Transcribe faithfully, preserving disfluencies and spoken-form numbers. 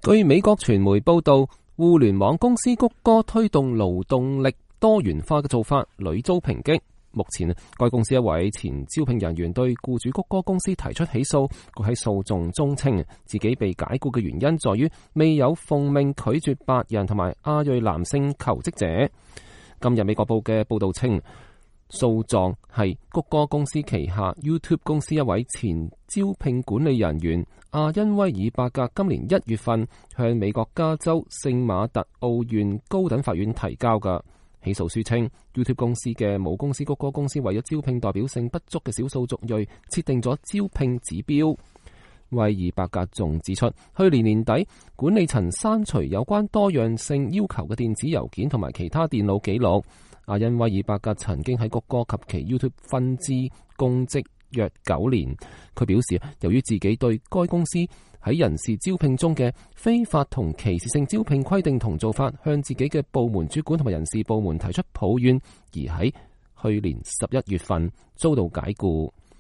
據美國傳媒報道，互聯網公司谷歌推動勞動力多元化嘅做法屢遭抨擊。目前，該公司一位前招聘人員對僱主谷歌公司提出起訴。佢喺訴訟中稱，自己被解僱嘅原因在於未有奉命拒絕白人同埋亞裔男性求職者。今日美國報嘅報道稱，訴狀係谷歌公司旗下 YouTube 公司一位前招聘管理人員阿恩威爾伯格今年一月份向美國加州聖馬特奧縣高等法院提交嘅。起訴書稱 YouTube 公司嘅母公司谷歌公司為咗招聘代表性不足嘅少數族裔，設定咗招聘指標。威爾伯格仲指出，去年年底管理層刪除有關多樣性要求嘅電子郵件同埋其他電腦記錄。阿恩威爾伯格曾經喺谷歌及其 YouTube 分支公職約九年。佢表示，由於自己對該公司喺人事招聘中嘅非法同歧視性招聘規定同做法，向自己嘅部門主管同埋人事部門提出抱怨，而喺去年十一月份遭到解僱。